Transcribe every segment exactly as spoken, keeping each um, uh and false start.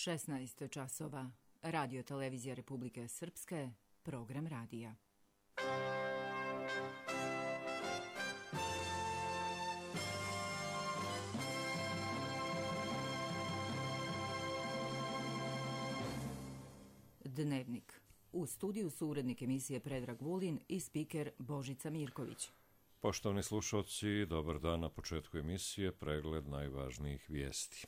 šesnaest časova. Radio televizija Republike Srpske, program radija. Dnevnik. U studiju su urednik emisije Predrag Vulin i spiker Božica Mirković. Poštovani slušalci, dobar dan. Na početku emisije pregled najvažnijih vijesti.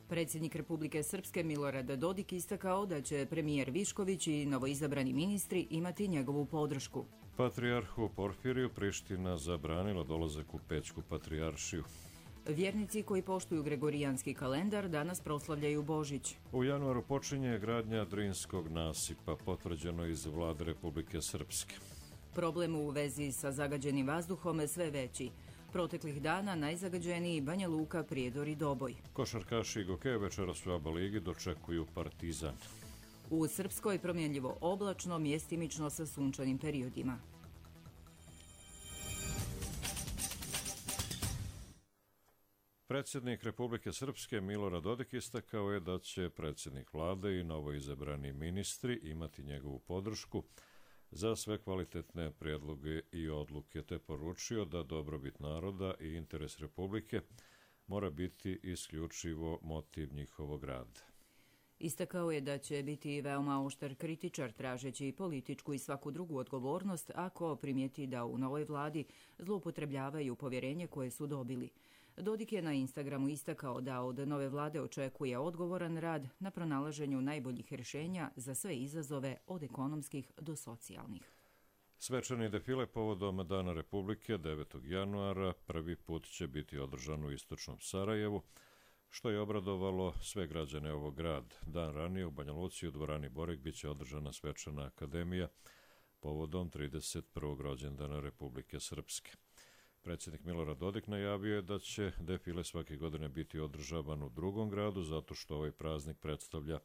Predsjednik Republike Srpske Milorad Dodik istakao da će premijer Višković i novoizabrani ministri imati njegovu podršku. Patrijarhu Porfiriju Priština zabranila dolazak u Pećku patrijaršiju. Vjernici koji poštuju gregorijanski kalendar danas proslavljaju Božić. U januaru počinje gradnja Drinskog nasipa, potvrđeno iz Vlade Republike Srpske. Problem u vezi sa zagađenim vazduhom je sve veći. Proteklih dana najzagađeniji Banja Luka, Prijedor i Doboj. Košarkaši Gokeja večeras u ABA ligi dočekuju Partizan. U Srpskoj promjenljivo oblačno, mjestimično sa sunčanim periodima. Predsjednik Republike Srpske Milorad Dodik istakao je da će predsjednik vlade i novoizabrani ministri imati njegovu podršku za sve kvalitetne prijedloge i odluke, te poručio da dobrobit naroda i interes Republike mora biti isključivo motiv njihovog rada. Istakao je da će biti veoma oštar kritičar tražeći političku i svaku drugu odgovornost ako primijeti da u novoj vladi zloupotrebljavaju povjerenje koje su dobili. Dodik je na Instagramu istakao da od nove vlade očekuje odgovoran rad na pronalaženju najboljih rješenja za sve izazove od ekonomskih do socijalnih. Svečani defile povodom Dana Republike devetog januara prvi put će biti održan u istočnom Sarajevu, što je obradovalo sve građane ovog grada. Dan ranije u Banja Luci u dvorani Borek biće održana svečana akademija povodom trideset prvog rođendana Republike Srpske. Predsjednik Milorad Dodik najavio je da će defile svake godine biti održavan u drugom gradu zato što ovaj praznik predstavlja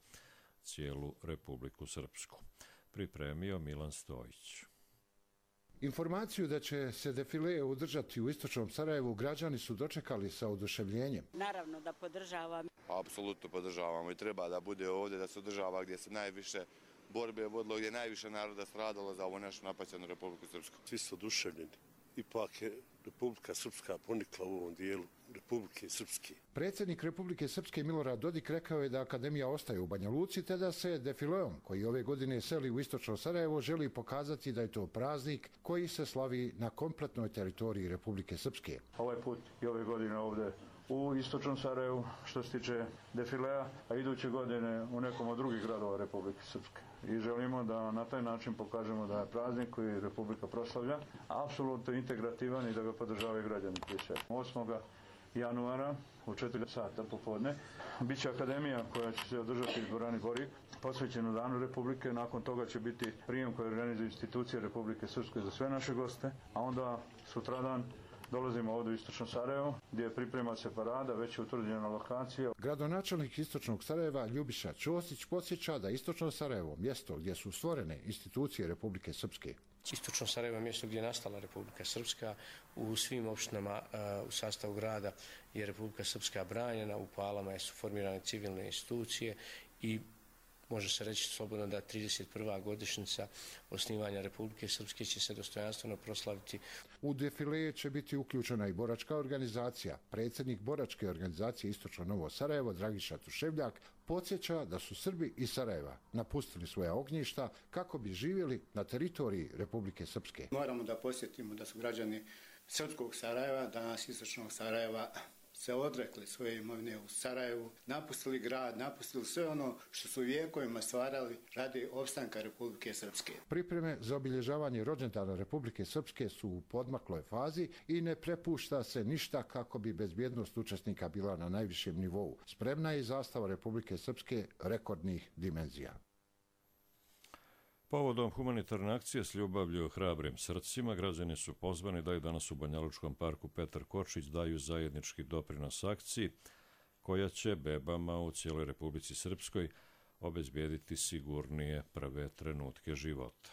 cijelu Republiku Srpsku. Pripremio Milan Stojić. Informaciju da će se defile održati u istočnom Sarajevu građani su dočekali sa oduševljenjem. Naravno da podržavam. Apsolutno podržavamo i treba da bude ovdje, da se održava gdje se najviše borbe vodilo, gdje je najviše naroda stradalo za ovu našu napaćenu Republiku Srpsku. Svi su oduševljeni. Ipak je Republika Srpska ponikla u ovom dijelu Republike Srpske. Predsjednik Republike Srpske Milorad Dodik rekao je da akademija ostaje u Banja Luci, te da se defileom koji ove godine seli u istočno Sarajevo želi pokazati da je to praznik koji se slavi na kompletnoj teritoriji Republike Srpske. Ovaj put i ove godine ovdje u istočnom Sarajevu što se tiče defilea, a iduće godine u nekom od drugih gradova Republike Srpske. I želimo da na taj način pokažemo da je praznik koji Republika proslavlja apsolutno integrativan i da ga podržavaju građani prije svega. osmog januara u četiri sata popodne biće akademija koja će se održati u dvorani Borik, posvećenu Danu Republike. Nakon toga će biti prijem koji organizuju institucije Republike Srpske za sve naše goste, a onda sutradan dolazimo ovdje u istočno Sarajevo, gdje priprema se parada, već je utvrđena lokacija. Gradonačelnik istočnog Sarajeva Ljubiša Ćosić podsjeća da istočno Sarajevo, mjesto gdje su stvorene institucije Republike Srpske. Istočno Sarajevo je mjesto gdje je nastala Republika Srpska. U svim opštinama u sastavu grada je Republika Srpska branjena, u Palama su formirane civilne institucije i može se reći slobodno da trideset prva godišnjica osnivanja Republike Srpske će se dostojanstveno proslaviti. U defile će biti uključena i boračka organizacija. Predsjednik boračke organizacije Istočno Novo Sarajevo Dragiša Tuševljak podsjeća da su Srbi iz Sarajeva napustili svoja ognjišta kako bi živjeli na teritoriji Republike Srpske. Moramo da posjetimo da su građani srpskog Sarajeva, danas istočnog Sarajeva, se odrekli svoje imovine u Sarajevu, napustili grad, napustili sve ono što su vijekovima stvarali radi opstanka Republike Srpske. Pripreme za obilježavanje rođendana Republike Srpske su u podmakloj fazi i ne prepušta se ništa kako bi bezbjednost učesnika bila na najvišem nivou. Spremna je i zastava Republike Srpske rekordnih dimenzija. Povodom humanitarne akcije s ljubavlju hrabrim srcima, građani su pozvani da i danas u Banjalučkom parku Petar Kočić daju zajednički doprinos akciji koja će bebama u cijeloj Republici Srpskoj obezbijediti sigurnije prve trenutke života.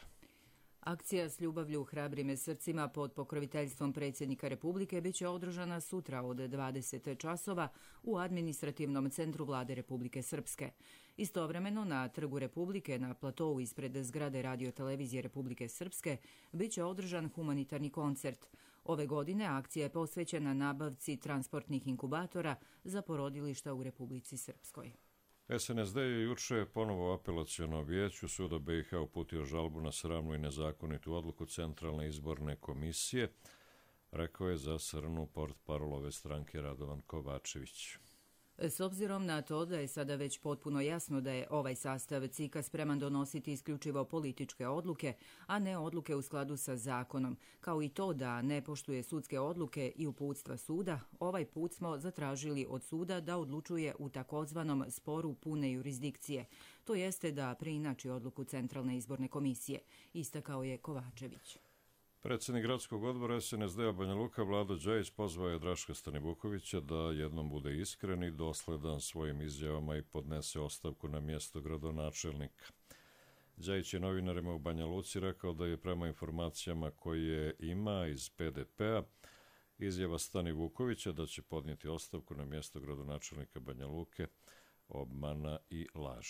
Akcija s ljubavlju hrabrim srcima pod pokroviteljstvom predsjednika Republike bit će održana sutra od dvadeset časova u administrativnom centru Vlade Republike Srpske. Istovremeno na Trgu Republike na platou ispred zgrade Radio-televizije Republike Srpske bit će održan humanitarni koncert. Ove godine akcija je posvećena nabavci transportnih inkubatora za porodilišta u Republici Srpskoj. S N S D je juče ponovo apelaciono vijeću suda B i H uputio žalbu na sramnu i nezakonitu odluku Centralne izborne komisije, rekao je za Srnu portparol ove stranke Radovan Kovačević. S obzirom na to da je sada već potpuno jasno da je ovaj sastav C I K-a spreman donositi isključivo političke odluke, a ne odluke u skladu sa zakonom, kao i to da ne poštuje sudske odluke i uputstva suda, ovaj put smo zatražili od suda da odlučuje u takozvanom sporu pune jurisdikcije, to jeste da preinači odluku Centralne izborne komisije, istakao je Kovačević. Predsjednik gradskog odbora S N S D-a Banja Luka Vlado Đajić pozvao je Draška Stanivukovića da jednom bude iskren i dosledan svojim izjavama i podnese ostavku na mjesto gradonačelnika. Đajić je novinarima u Banja Luci rekao da je prema informacijama koje ima iz P D P-a izjava Stanivukovića da će podnijeti ostavku na mjesto gradonačelnika Banja Luke obmana i laž.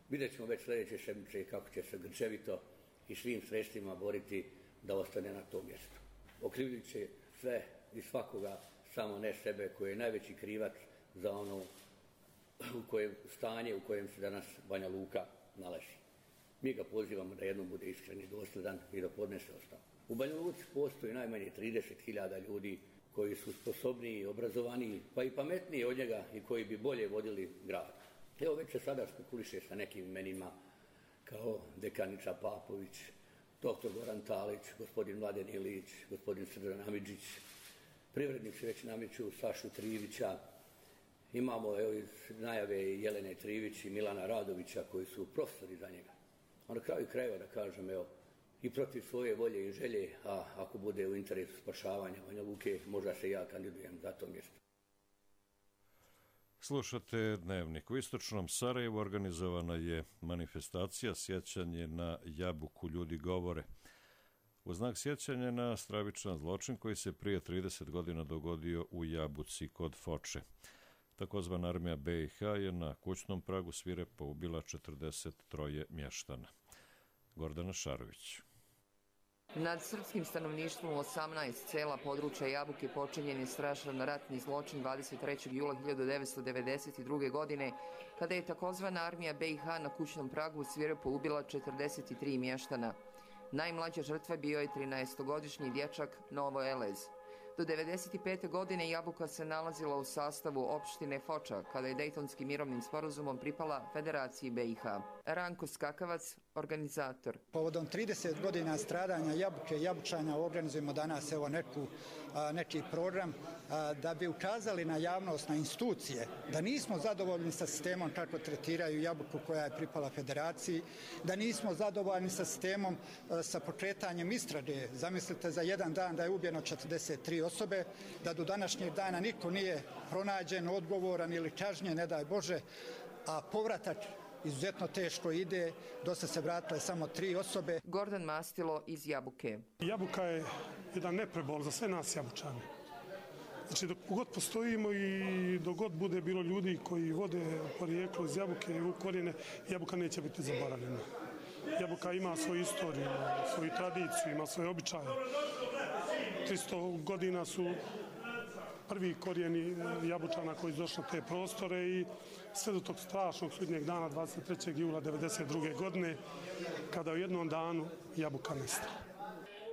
Vidjet ćemo već sljedeće sedmice kako će se grčevito i svim sredstvima boriti da ostane na tom mjestu. Okrivit će sve i svakoga, samo ne sebe, koji je najveći krivac za ono u kojem stanje u kojem se danas Banja Luka nalazi. Mi ga pozivamo da jednom bude iskren i dosledan i da podnese ostavku. U Banja Luci postoji najmanje trideset hiljada ljudi koji su sposobniji, obrazovaniji, pa i pametniji od njega i koji bi bolje vodili grad. Evo već se sada spekuliše sa nekim imenima kao dekanica Papović, doktor Goran Talić, gospodin Mladen Ilić, gospodin Srđan Amidžić, privrednici već nameću Sašu Trivića, imamo evo, iz najave Jelene Trivić i Milana Radovića koji su profesori za njega. A na kraju krajeva da kažem, evo, i protiv svoje volje i želje, a ako bude u interesu spašavanja Banja Luke, možda se ja kandidujem za to mjesto. Slušate Dnevnik. U istočnom Sarajevu organizovana je manifestacija sjećanje na Jabuku ljudi govore. U znak sjećanja na stravičan zločin koji se prije trideset godina dogodio u Jabuci kod Foče. Takozvana armija B i H je na kućnom pragu svirepo ubila četrdeset tri mještana. Gordana Šarović. Nad srpskim stanovništvom osamnaest sela područja Jabuke počinjen je strašan ratni zločin dvadeset trećeg jula hiljadu devetsto devedeset druge. godine, kada je takozvana armija B i H na kućnom pragu svirepo ubila četrdeset tri mještana. Najmlađa žrtva bio je trinaestogodišnji dječak Novo Elez. Do devedeset pete. godine Jabuka se nalazila u sastavu opštine Foča, kada je Dejtonskim mirovnim sporazumom pripala Federaciji B i H. Ranko Skakavac, organizator. Povodom trideset godina stradanja Jabuke i Jabučana organizujemo danas evo neku, a, neki program a, da bi ukazali na javnost, na institucije, da nismo zadovoljni sa sistemom kako tretiraju Jabuku koja je pripala Federaciji, da nismo zadovoljni sa sistemom a, sa pokretanjem istrage. Zamislite za jedan dan da je ubijeno četrdeset tri osobe, da do današnjeg dana niko nije pronađen, odgovoran ili kažnjen, ne daj Bože, a povratak izuzetno teško ide, dosta se vratile samo tri osobe. Gordan Mastilo iz Jabuke. Jabuka je jedan neprebol za sve nas Jabučane. Znači dok god postojimo i dok god bude bilo ljudi koji vode porijeklo iz Jabuke i u korijene, Jabuka neće biti zaboravljena. Jabuka ima svoju istoriju, svoju tradiciju, ima svoje običaje. tristo godina su prvi korijeni Jabučana koji su došli na te prostore i sve do tog strašnog sudnjeg dana dvadeset trećeg jula devedeset druge. godine kada u jednom danu Jabuka nestala.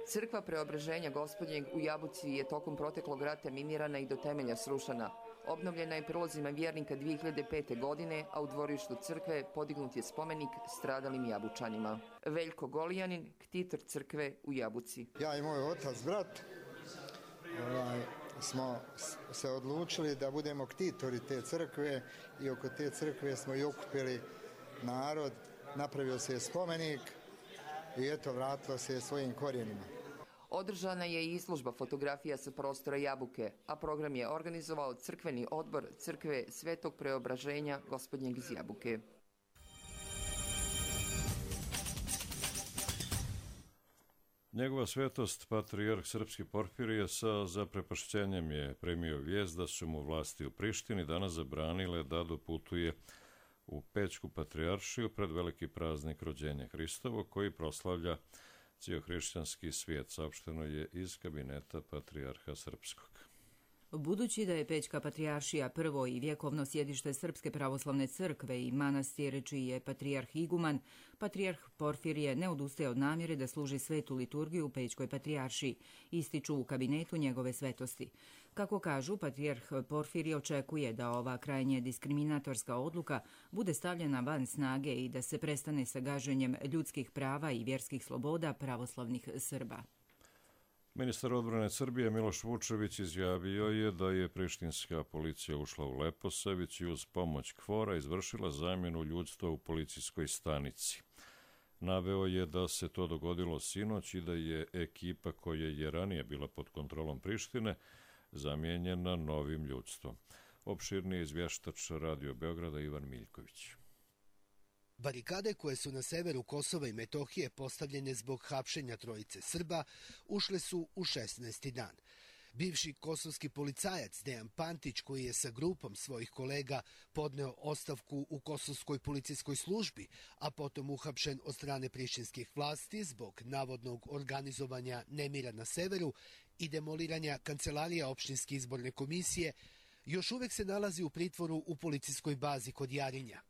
Crkva Preobraženja Gospodnjeg u Jabuci je tokom proteklog rata minirana i do temelja srušena. Obnovljena je prilozima vjernika dvije hiljade pete. godine, a u dvorištu crkve podignut je spomenik stradalim Jabučanima. Veljko Golijanin, ktitor crkve u Jabuci. Ja i moj otac, brat, ovaj, smo se odlučili da budemo ktitori te crkve i oko te crkve smo i okupili narod, napravio se spomenik i eto vratilo se svojim korijenima. Održana je i izložba fotografija sa prostora Jabuke, a program je organizovao crkveni odbor crkve Svetog Preobraženja Gospodnjeg iz Jabuke. Njegova svetost, patrijarh srpski Porfirije, sa zaprepašćenjem je primio vijest da su mu vlasti u Prištini danas zabranile da doputuje u Pećku patrijaršiju pred veliki praznik rođenja Hristovo, koji proslavlja cijel hrišćanski svijet, saopšteno je iz kabineta patrijarha srpskog. Budući da je Pećka patrijaršija prvo i vjekovno sjedište Srpske pravoslavne crkve i manastir čiji je patrijarh iguman, patrijarh Porfirije ne odustaje od namjere da služi svetu liturgiju u Pećkoj patrijaršiji, ističu u kabinetu njegove svetosti. Kako kažu, patrijarh Porfirije očekuje da ova krajnje diskriminatorska odluka bude stavljena van snage i da se prestane sa gaženjem ljudskih prava i vjerskih sloboda pravoslavnih Srba. Ministar odbrane Srbije Miloš Vučević izjavio je da je prištinska policija ušla u Leposavić i uz pomoć KFOR-a izvršila zamjenu ljudstva u policijskoj stanici. Naveo je da se to dogodilo sinoć i da je ekipa koja je ranije bila pod kontrolom Prištine zamijenjena novim ljudstvom. Opširnije izvještač Radio Beograda Ivan Miljković. Barikade koje su na severu Kosova i Metohije postavljene zbog hapšenja trojice Srba ušle su u šesnaesti dan. Bivši kosovski policajac Dejan Pantić, koji je sa grupom svojih kolega podneo ostavku u kosovskoj policijskoj službi, a potom uhapšen od strane prištinskih vlasti zbog navodnog organizovanja nemira na severu i demoliranja kancelarija opštinske izborne komisije, još uvek se nalazi u pritvoru u policijskoj bazi kod Jarinja.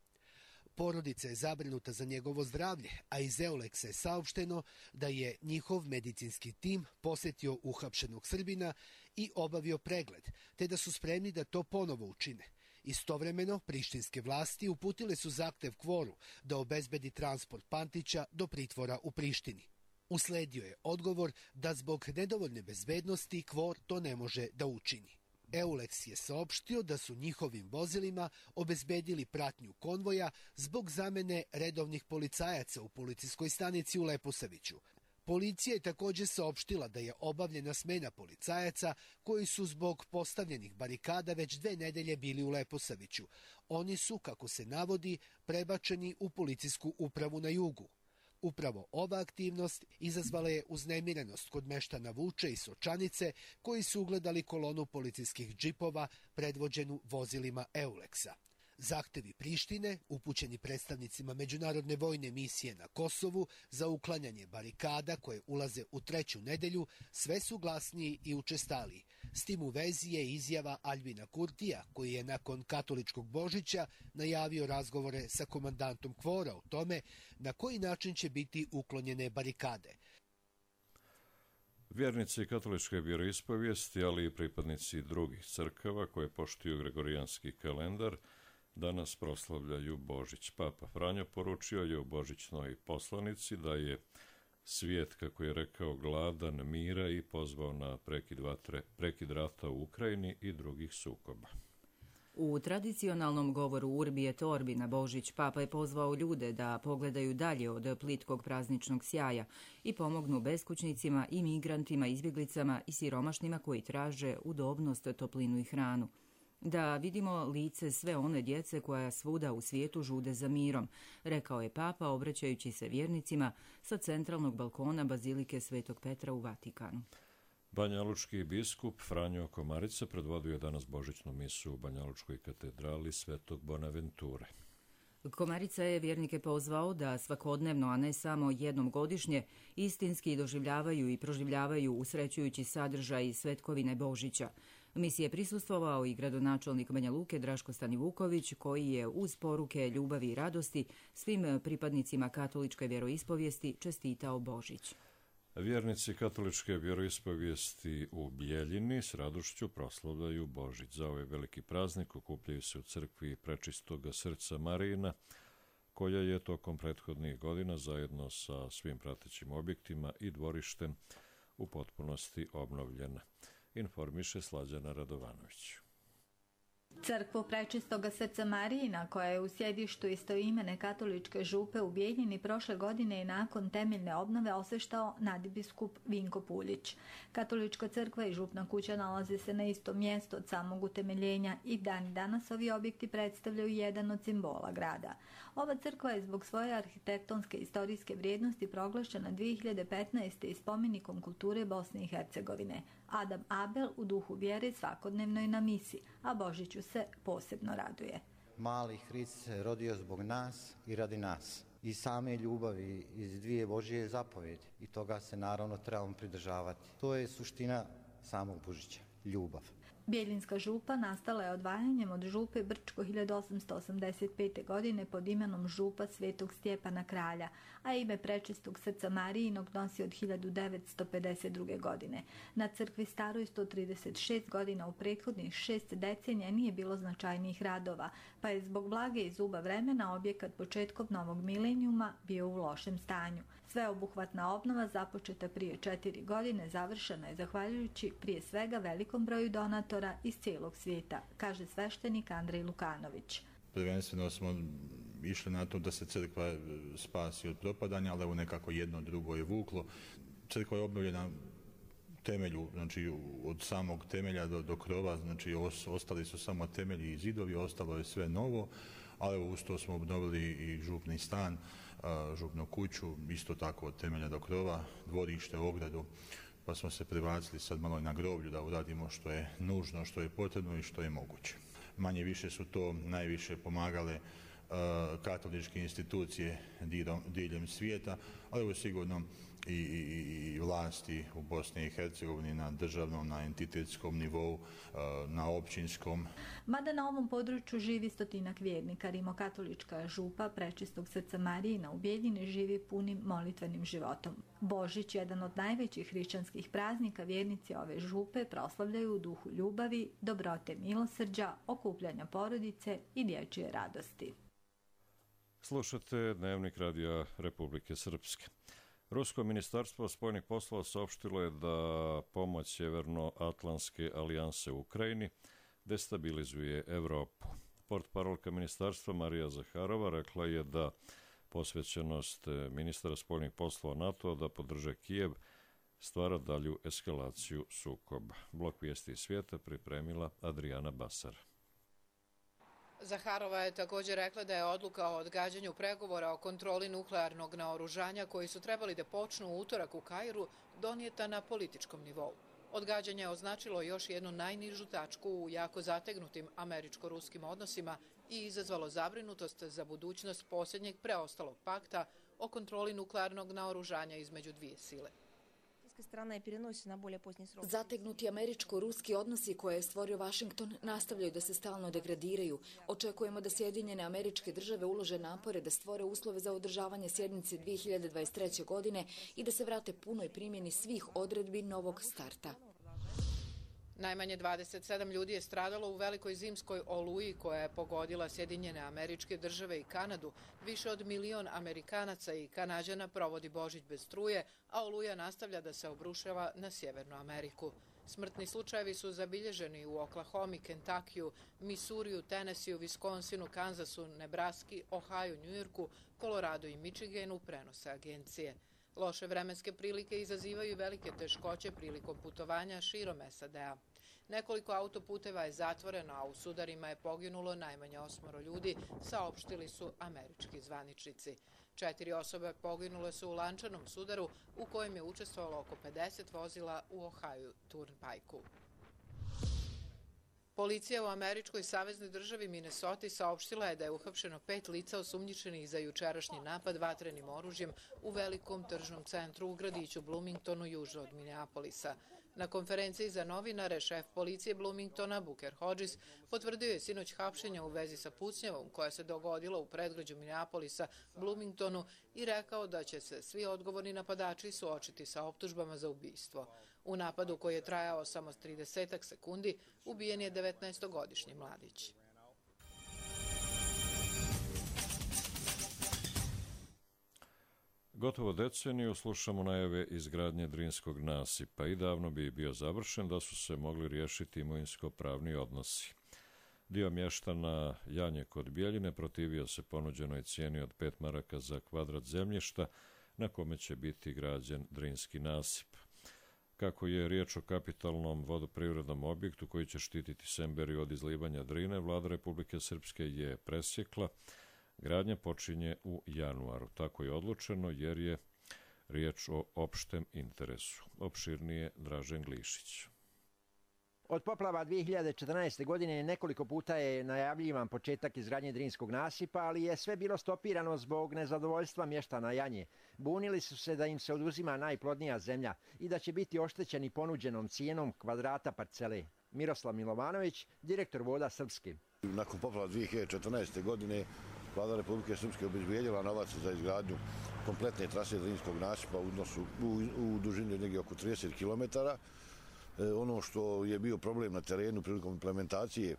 Porodica je zabrinuta za njegovo zdravlje, a iz Euleksa je saopšteno da je njihov medicinski tim posjetio uhapšenog Srbina i obavio pregled, te da su spremni da to ponovo učine. Istovremeno, prištinske vlasti uputile su zahtev KFOR-u da obezbedi transport Pantića do pritvora u Prištini. Usledio je odgovor da zbog nedovoljne bezbednosti KFOR to ne može da učini. Euleks je saopštio da su njihovim vozilima obezbedili pratnju konvoja zbog zamene redovnih policajaca u policijskoj stanici u Leposaviću. Policija je također saopštila da je obavljena smena policajaca koji su zbog postavljenih barikada već dve nedelje bili u Leposaviću. Oni su, kako se navodi, prebačeni u policijsku upravu na jugu. Upravo ova aktivnost izazvala je uznemirenost kod meštana Vuče i Sočanice, koji su ugledali kolonu policijskih džipova predvođenu vozilima Euleksa. Zahtevi Prištine, upućeni predstavnicima Međunarodne vojne misije na Kosovu za uklanjanje barikada koje ulaze u treću nedelju, sve su glasniji i učestaliji. S tim u vezi je izjava Aljbina Kurtija, koji je nakon katoličkog Božića najavio razgovore sa komandantom KFOR-a o tome na koji način će biti uklonjene barikade. Vjernici katoličke vjeroispovijesti, ali i pripadnici drugih crkava koje poštuju gregorijanski kalendar, danas proslavljaju Božić. Papa Franjo poručio je u božićnoj poslanici da je svijet, kako je rekao, gladan mira i pozvao na prekid vatre, prekid rata u Ukrajini i drugih sukoba. U tradicionalnom govoru Urbi et Orbi na Božić, Papa je pozvao ljude da pogledaju dalje od plitkog prazničnog sjaja i pomognu beskućnicima i migrantima, izbjeglicama i siromašnima koji traže udobnost, toplinu i hranu. Da vidimo lice sve one djece koja svuda u svijetu žude za mirom, rekao je Papa obraćajući se vjernicima sa centralnog balkona Bazilike Svetog Petra u Vatikanu. Banjalučki biskup Franjo Komarica predvodio je danas božićnu misu u Banjalučkoj katedrali Svetog Bonaventure. Komarica je vjernike pozvao da svakodnevno, a ne samo jednom godišnje, istinski doživljavaju i proživljavaju usrećujući sadržaj svetkovine Božića. Misiji je prisustvovao i gradonačelnik Banja Luke Draško Stanivuković, koji je uz poruke ljubavi i radosti svim pripadnicima katoličke vjeroispovijesti čestitao Božić. Vjernici katoličke vjeroispovijesti u Bijeljini s radošću proslavljaju Božić. Za ovaj veliki praznik okupljaju se u crkvi Prečistoga srca Marijina, koja je tokom prethodnih godina zajedno sa svim pratećim objektima i dvorištem u potpunosti obnovljena, informiše Slađana Radovanović. Crkvu Prečistoga srca Marijina, koja je u sjedištu istoimene katoličke župe u Bijeljini, prošle godine i nakon temeljne obnove osveštao nadbiskup Vinko Puljić. Katolička crkva i župna kuća nalaze se na istom mjestu od samog utemeljenja i dan danas ovi objekti predstavljaju jedan od simbola grada. Ova crkva je zbog svoje arhitektonske i istorijske vrijednosti proglašena dvije hiljade petnaeste. i spomenikom kulture Bosne i Hercegovine. Adam Abel u duhu vjere svakodnevno je na misi, a Božiću se posebno raduje. Mali Hrist se rodio zbog nas i radi nas. I same ljubavi iz dvije Božje zapovjedi. I toga se naravno trebamo pridržavati. To je suština samog Božića, ljubav. Bijeljinska župa nastala je odvajanjem od župe Brčko hiljadu osamsto osamdeset pete. godine pod imenom župa Svetog Stjepana Kralja, a ime Prečistog srca Marijinog nosi od hiljadu devetsto pedeset druge. godine. Na crkvi staroj sto trideset šest godina u prethodnih šest decenija nije bilo značajnijih radova, pa je zbog vlage i zuba vremena objekat početkom novog milenijuma bio u lošem stanju. Sveobuhvatna obnova započeta prije četiri godine završena je zahvaljujući prije svega velikom broju donatora iz cijelog svijeta, kaže sveštenik Andrej Lukanović. Prvenstveno smo išli na to da se crkva spasi od propadanja, ali evo nekako jedno drugo je vuklo. Crkva je obnovljena temelju, znači od samog temelja do, do krova, znači os, ostali su samo temelji i zidovi, ostalo je sve novo, ali evo uz to smo obnovili i župni stan, župnu kuću, isto tako od temelja do krova, dvorište, ogradu, pa smo se prebacili sad malo i na groblju da uradimo što je nužno, što je potrebno i što je moguće. Manje više su to najviše pomagale uh, katoličke institucije diljem svijeta, ali evo sigurno i, i, i vlasti u Bosni i Hercegovini na državnom, na entitetskom nivou, uh, na općinskom. Mada na ovom području živi stotinak vjernika, rimokatolička župa Prečistog srca Marijina u Bijeljini živi punim molitvenim životom. Božić, jedan od najvećih hrišćanskih praznika, vjernici ove župe proslavljaju u duhu ljubavi, dobrote, milosrđa, okupljanja porodice i dječje radosti. Slušate Dnevnik radija Republike Srpske. Rusko ministarstvo spoljnih poslova saopštilo je da pomoć Sjevernoatlantske alijanse u Ukrajini destabilizuje Evropu. Portparolka ministarstva Marija Zaharova rekla je da posvećenost ministra spoljnih poslova NATO-a da podrže Kijev stvara dalju eskalaciju sukoba. Blok vijesti iz svijeta pripremila Adriana Basar. Zaharova je također rekla da je odluka o odgađanju pregovora o kontroli nuklearnog naoružanja koji su trebali da počnu u utorak u Kairu donijeta na političkom nivou. Odgađanje je označilo još jednu najnižu tačku u jako zategnutim američko-ruskim odnosima i izazvalo zabrinutost za budućnost posljednjeg preostalog pakta o kontroli nuklearnog naoružanja između dvije sile. Zategnuti američko-ruski odnosi koje je stvorio Washington nastavljaju da se stalno degradiraju. Očekujemo da Sjedinjene Američke Države ulože napore da stvore uslove za održavanje sjednice dvije hiljade dvadeset treće. godine i da se vrate punoj primjeni svih odredbi novog starta. Najmanje dvadeset sedam ljudi je stradalo u velikoj zimskoj oluji koja je pogodila Sjedinjene Američke Države i Kanadu. Više od milion Amerikanaca i Kanađana provodi Božić bez struje, a oluja nastavlja da se obrušava na Sjevernu Ameriku. Smrtni slučajevi su zabilježeni u Oklahomi, Kentakiju, Misuriju, Tenesiju, Viskonsinu, Kanzasu, Nebraski, Ohaju, Njujorku, Koloradu i Michiganu, prenose agencije. Loše vremenske prilike izazivaju velike teškoće prilikom putovanja širom S A D-a. Nekoliko autoputeva je zatvoreno, a u sudarima je poginulo najmanje osmoro ljudi, saopštili su američki zvaničnici. Četiri osobe poginule su u lančanom sudaru u kojem je učestvovalo oko pedeset vozila u Ohio Turnpike-u. Policija u američkoj saveznoj državi Minnesota saopštila je da je uhapšeno pet lica osumnjičenih za jučerašnji napad vatrenim oružjem u velikom tržnom centru u gradiću Bloomingtonu južno od Minneapolisa. Na konferenciji za novinare šef policije Bloomingtona Booker Hodges potvrdio je sinoć hapšenja u vezi sa pucnjavom koja se dogodila u predgrađu Minneapolisa Bloomingtonu i rekao da će se svi odgovorni napadači suočiti sa optužbama za ubistvo. U napadu koji je trajao samo trideset sekundi ubijen je devetnaestogodišnji mladić. Gotovo deceniju slušamo najave izgradnje Drinskog nasipa i davno bi bio završen da su se mogli riješiti imovinsko-pravni odnosi. Dio mještana Janje kod Bijeljine protivio se ponuđenoj cijeni od pet maraka za kvadrat zemljišta na kome će biti građen Drinski nasip. Kako je riječ o kapitalnom vodoprivrednom objektu koji će štititi Semberiju od izlivanja Drine, vlada Republike Srpske je presjekla. Gradnja počinje u januaru. Tako je odlučeno jer je riječ o opštem interesu. Opširnije Dražen Glišić. Od poplava dvije hiljade četrnaeste. godine nekoliko puta je najavljivan početak izgradnje Drinskog nasipa, ali je sve bilo stopirano zbog nezadovoljstva mještana Janje. Bunili su se da im se oduzima najplodnija zemlja i da će biti oštećeni ponuđenom cijenom kvadrata parcele. Miroslav Milovanović, direktor Voda Srpske. Nakon poplava dvije hiljade četrnaeste. godine vlada Republike Srpske obezbijedila novac za izgradnju kompletne trase Drinskog nasipa u, odnosu, u, u dužini negdje oko trideset kilometara. E, ono što je bio problem na terenu prilikom implementacije e,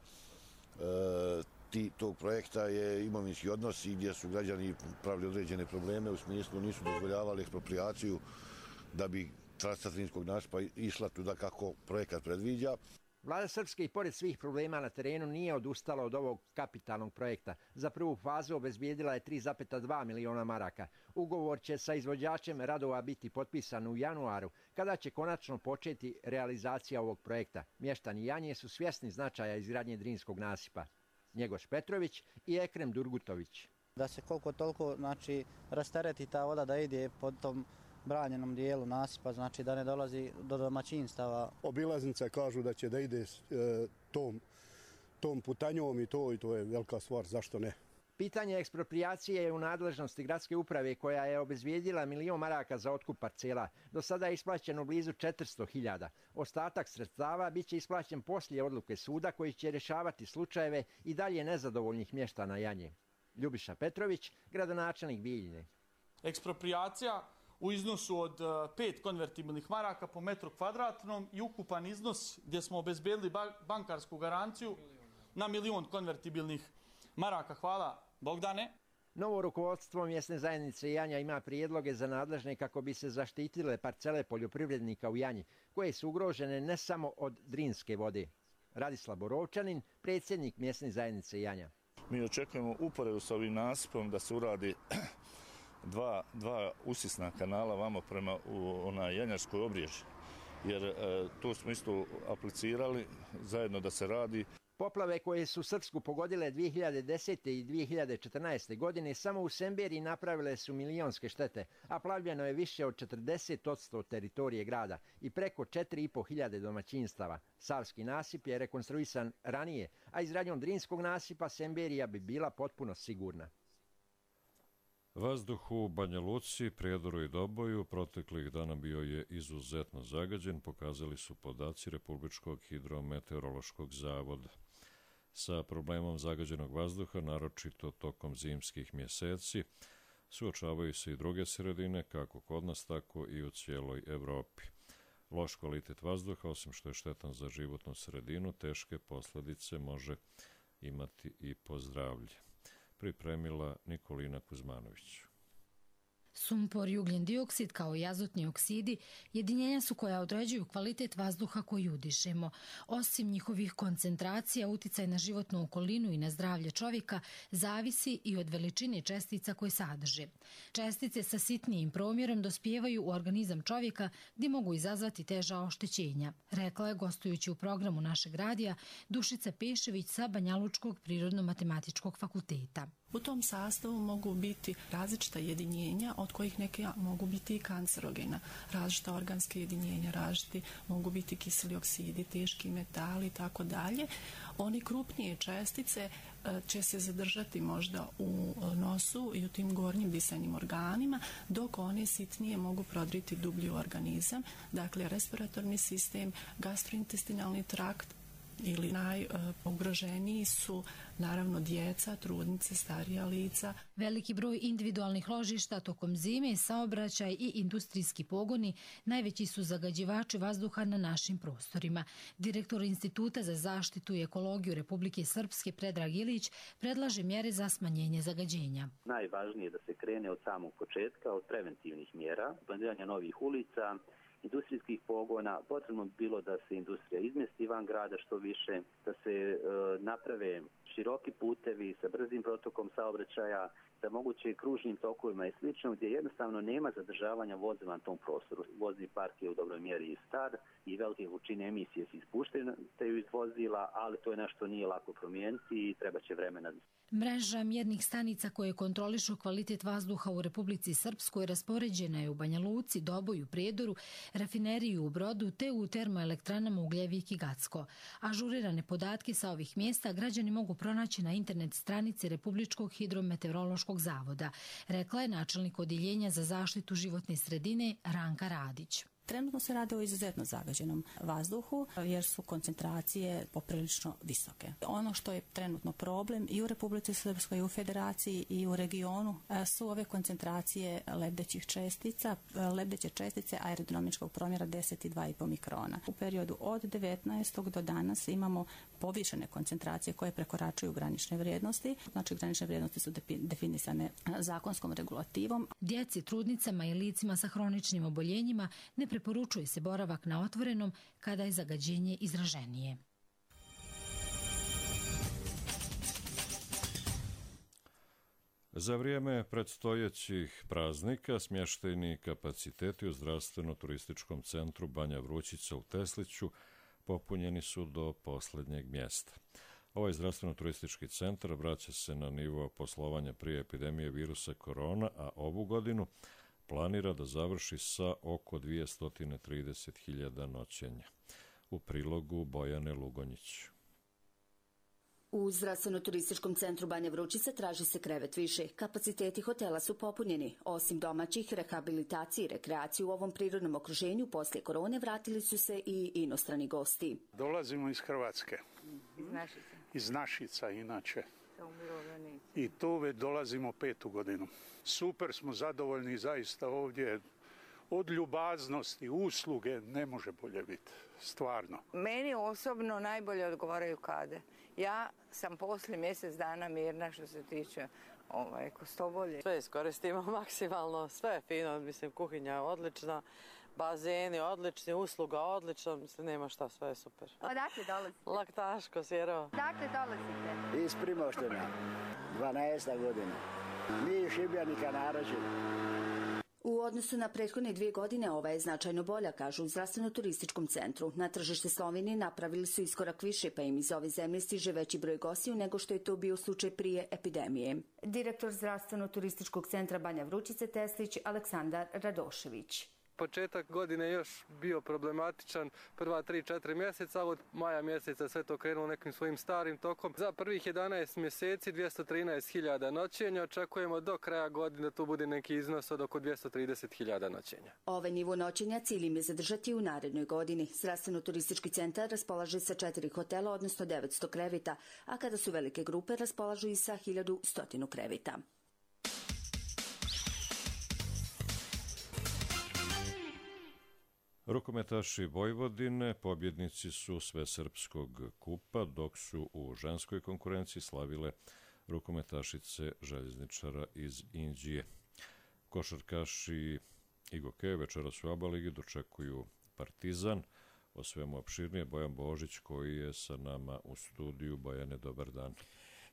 ti, tog projekta je imovinski odnosi gdje su građani pravili određene probleme, u smislu nisu dozvoljavali eksproprijaciju da bi trasa Drinskog nasipa išla tuda kako projekat predviđa. Vlada Srpske i pored svih problema na terenu nije odustala od ovog kapitalnog projekta. Za prvu fazu obezbijedila je tri zarez dva miliona maraka. Ugovor će sa izvođačem radova biti potpisan u januaru, kada će konačno početi realizacija ovog projekta. Mještani Janje su svjesni značaja izgradnje Drinskog nasipa. Njegoš Petrović i Ekrem Durgutović. Da se koliko toliko znači, rastereti ta voda da ide pod tom branjenom dijelu nasipa, znači da ne dolazi do domaćinstava. Obilaznice kažu da će da ide e, tom, tom putanjom i to, i to je velika stvar, zašto ne? Pitanje eksproprijacije je u nadležnosti gradske uprave koja je obezbijedila milion maraka za otkup parcela. Do sada je isplaćeno blizu četiristo hiljada. Ostatak sredstava bit će isplaćen poslije odluke suda koji će rješavati slučajeve i dalje nezadovoljnih mještana Janje. Ljubiša Petrović, gradonačelnik Bijeljine. Eksproprijacija u iznosu od pet konvertibilnih maraka po metru kvadratnom i ukupan iznos gdje smo obezbedili bankarsku garanciju na milion konvertibilnih maraka. Hvala Bogdane. Novo rukovodstvo mjesne zajednice Janja ima prijedloge za nadležne kako bi se zaštitile parcele poljoprivrednika u Janji, koje su ugrožene ne samo od Drinske vode. Radislav Borovčanin, predsjednik mjesne zajednice Janja. Mi očekujemo uporedu s ovim nasipom da se uradi Dva, dva usisna kanala vamo prema u ona Janjarskoj obrježi, jer e, to smo isto aplicirali zajedno da se radi. Poplave koje su Srpsku pogodile dvije hiljade desete. i dvije hiljade četrnaeste. godine samo u Semberiji napravile su milionske štete, a plavljeno je više od četrdeset posto teritorije grada i preko četiri i po hiljade domaćinstava. Savski nasip je rekonstruisan ranije, a izgradnjom Drinskog nasipa Semberija bi bila potpuno sigurna. Vazduh u Banja Luci, Prijedoru i Doboju proteklih dana bio je izuzetno zagađen, pokazali su podaci Republičkog hidrometeorološkog zavoda. Sa problemom zagađenog vazduha, naročito tokom zimskih mjeseci, suočavaju se i druge sredine, kako kod nas, tako i u cijeloj Evropi. Loš kvalitet vazduha, osim što je štetan za životnu sredinu, teške posljedice može imati i po zdravlje. Pripremila Nikolina Kuzmanović. Sumpor i ugljen dioksid kao i azotni oksidi jedinjenja su koja određuju kvalitet vazduha koji udišemo. Osim njihovih koncentracija, uticaj na životnu okolinu i na zdravlje čovjeka zavisi i od veličine čestica koje sadrže. Čestice sa sitnijim promjerom dospijevaju u organizam čovjeka gdje mogu izazvati teža oštećenja, rekla je gostujući u programu našeg radija Dušica Pešević sa Banjalučkog prirodno-matematičkog fakulteta. U tom sastavu mogu biti različita jedinjenja, od kojih neke mogu biti i kancerogena, različita organske jedinjenja, različiti mogu biti kiseli oksidi, teški metali i tako dalje. Oni krupnije čestice će se zadržati možda u nosu i u tim gornjim disajnim organima, dok one sitnije mogu prodriti dublji u organizam, dakle respiratorni sistem, gastrointestinalni trakt, ili najugroženiji su naravno djeca, trudnice, starija lica. Veliki broj individualnih ložišta tokom zime, saobraćaj i industrijski pogoni najveći su zagađivači vazduha na našim prostorima. Direktor Instituta za zaštitu i ekologiju Republike Srpske Predrag Ilić predlaže mjere za smanjenje zagađenja. Najvažnije je da se krene od samog početka, od preventivnih mjera, planiranja novih ulica industrijskih pogona. Potrebno bi bilo da se industrija izmjesti van grada što više, da se e, naprave široki putevi sa brzim protokom saobraćaja, sa moguće kružnim tokovima i slično, gdje jednostavno nema zadržavanja vozila na tom prostoru. Vozni park je u dobroj mjeri star i velike količine emisije se ispuštaju iz vozila, ali to je nešto nije lako promijeniti i treba će vremena. Mreža mjernih stanica koje kontrolišu kvalitet vazduha u Republici Srpskoj raspoređena je u Banja Luci, Doboju, Prijedoru, rafineriju u Brodu te u termoelektranama Ugljevik i Gacko. Ažurirane podatke sa ovih mjesta građani mogu pronaći na internet stranici Republičkog hidrometeorološkog zavoda, rekla je načelnik odjeljenja za zaštitu životne sredine Ranka Radić. Trenutno se radi o izuzetno zagađenom vazduhu jer su koncentracije poprilično visoke. Ono što je trenutno problem i u Republici Srpskoj i u Federaciji i u regionu su ove koncentracije lebdećih čestica, lebdeće čestice aerodinamičkog promjera deset i dva i po mikrona. U periodu od devetnaestog do danas imamo povišene koncentracije koje prekoračuju granične vrijednosti. Znači granične vrijednosti su definisane zakonskom regulativom. Djeci, trudnicama i licima sa hroničnim oboljenjima ne preporučuje se boravak na otvorenom kada je zagađenje izraženije. Za vrijeme predstojećih praznika smještajni kapaciteti u zdravstveno-turističkom centru Banja Vrućica u Tesliću popunjeni su do posljednjeg mjesta. Ovaj zdravstveno-turistički centar vraća se na nivo poslovanja prije epidemije virusa korona, a ovu godinu planira da završi sa oko dvjesto trideset hiljada noćenja. U prilogu Bojane Lugonjić. U zdravstveno-turističkom centru Banja Vrućica traži se krevet više. Kapaciteti hotela su popunjeni. Osim domaćih, rehabilitacije i rekreacije u ovom prirodnom okruženju poslije korone vratili su se i inostrani gosti. Dolazimo iz Hrvatske. Iz Našica. Iz Našica, inače. I tu već dolazimo petu godinu. Super smo zadovoljni zaista ovdje. Od ljubaznosti, usluge ne može bolje biti, stvarno. Meni osobno najbolje odgovaraju kade. Ja sam poslije mjesec dana mirna što se tiče ovaj, kostobolje. Sve iskoristimo maksimalno, sve je fino, mislim kuhinja je odlična, bazeni odlični, usluga odlična, mislim nema šta, sve je super. Odakle dolazite? Laktaško, Sjerovo. Odakle dolazite? Iz Primoštena, dvanaesta godina. Mi Šibljanika naročito. U odnosu na prethodne dvije godine ova je značajno bolja, kažu u zdravstveno-turističkom centru. Na tržište Slovenije napravili su iskorak više, pa im iz ove zemlje stiže veći broj gostiju nego što je to bio slučaj prije epidemije. Direktor zdravstveno-turističkog centra Banja Vrućice Teslić Aleksandar Radošević. Početak godine još bio problematičan, prva tri četiri mjeseca, od maja mjeseca sve to krenulo nekim svojim starim tokom. Za prvih jedanaest mjeseci dvjesto trinaest hiljada noćenja, očekujemo do kraja godine da tu bude neki iznos od oko dvjesto trideset hiljada noćenja. Ovaj nivo noćenja cilj im je zadržati u narednoj godini. Zdravstveno-turistički centar raspolaže sa četiri hotela, odnosno devetsto kreveta, a kada su velike grupe raspolažu i sa hiljadu sto kreveta. Rukometaši Vojvodine pobjednici su Svesrpskog kupa, dok su u ženskoj konkurenciji slavile rukometašice željezničara iz Inđije. Košarkaši Igoke večeras u ABA ligi dočekuju Partizan. O svemu opširnije Bojan Božić koji je sa nama u studiju. Bojane, dobar dan.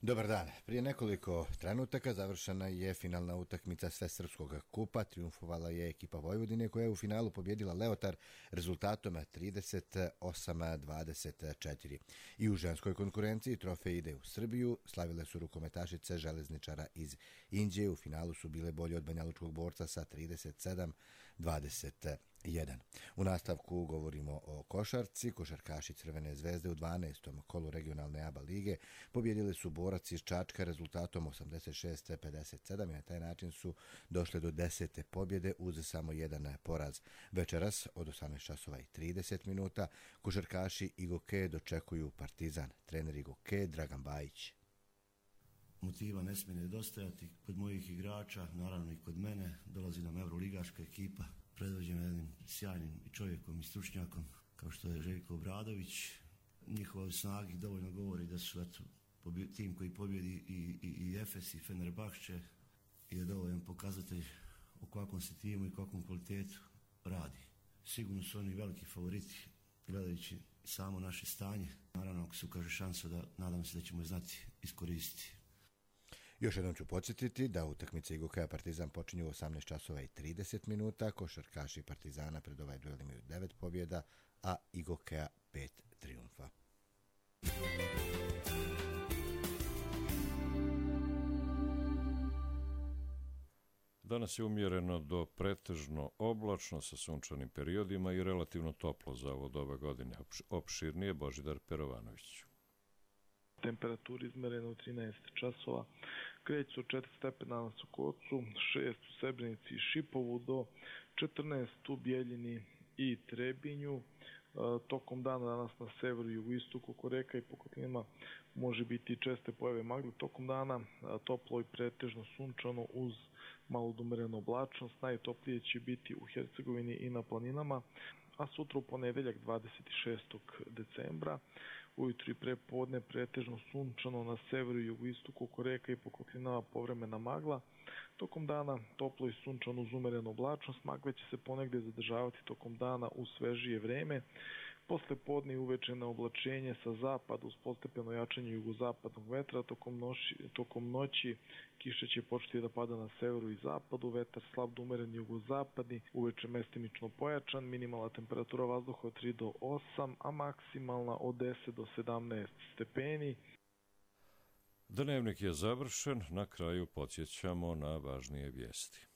Dobar dan. Prije nekoliko trenutaka završena je finalna utakmica Svesrpskog kupa. Triumfovala je ekipa Vojvodine koja je u finalu pobjedila Leotar rezultatom trideset osam dvadeset četiri. I u ženskoj konkurenciji trofej ide u Srbiju. Slavile su rukometašice železničara iz Inđije. U finalu su bile bolje od banjalučkog borca sa trideset sedam dvadeset jedan. U nastavku govorimo o košarci. Košarkaši Crvene zvezde u dvanaestom kolu regionalne ABA lige pobjedili su Borac iz Čačka rezultatom osamdeset šest pedeset sedam i na taj način su došle do desete pobjede uz samo jedan poraz. Večeras od osamnaest časova i trideset minuta košarkaši Igoke dočekuju Partizan. Trener Igoke Dragan Bajić. Motiva ne smije nedostajati kod mojih igrača, naravno i kod mene. Dolazi nam evroligaška ekipa predvođena jednim sjajnim čovjekom i stručnjakom kao što je Željko Obradović. Njihova snaga dovoljno govori da su eto, tim koji pobjedi i, i, i Efes i Fenerbahče je dovoljan pokazatelj o kakvom se timu i kakvom kvalitetu radi. sigurno su oni veliki favoriti gledajući samo naše stanje. Naravno, ako se ukaže šansa, da nadam se da ćemo je znati iskoristiti. Još jednom ću podsjetiti da utakmice Igokeja Partizan počinju u osamnaest časova i trideset minuta. Košarkaši Partizana pred ovaj duel imaju devet pobjeda, a Igokeja pet trijumfa. Danas je umjereno do pretežno oblačno sa sunčanim periodima i relativno toplo za ovo doba godine. Opširnije Božidar Perovanović. Temperaturi izmerene u trinaest časova, kreću od četiri stepena na Sokocu, šest u Srebrenici i Šipovu, do četrnaest u Bijeljini i Trebinju. Tokom dana danas na severu i jugoistoku oko reka i po kotlinama može biti česte pojave magle. Tokom dana toplo i pretežno sunčano uz malo umerenu oblačnost. Najtoplije će biti u Hercegovini i na planinama, a sutra u ponedeljak dvadeset šestog decembra. Ujutru i prepodne pretežno sunčano na severu i jugoistoku oko reka i po kotlinama povremena magla. Tokom dana toplo i sunčano uz umerenu oblačnost. Magle će se ponegdje zadržavati tokom dana u svežije vreme. Posle podne i uveče na oblačenje sa zapada uz postepeno jačanje jugozapadnog vetra. Tokom, noći, tokom noći kiša će početi da pada na severu i zapadu. Vetar slab do umeren jugozapadni, uveče mestimično pojačan. Minimalna temperatura vazduha od tri do osam, a maksimalna od deset do sedamnaest stepeni. Dnevnik je završen, na kraju podsjećamo na važnije vijesti.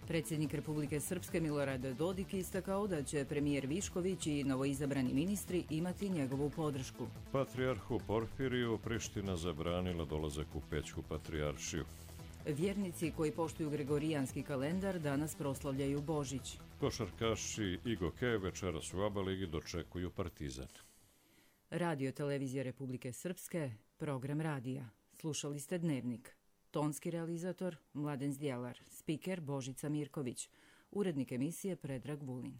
Predsjednik Republike Srpske Milorad Dodik istakao da će premijer Višković i novoizabrani ministri imati njegovu podršku. Patrijarhu Porfiriju Priština zabranila dolazak u Pećku patrijaršiju. Vjernici koji poštuju gregorijanski kalendar danas proslavljaju Božić. Košarkaši Igokeja večeras u A B A ligi dočekuju Partizan. Radio televizija Republike Srpske, program radija. Slušali ste Dnevnik. Tonski realizator Mladen Zdjelar, spiker Božica Mirković, urednik emisije Predrag Vulin.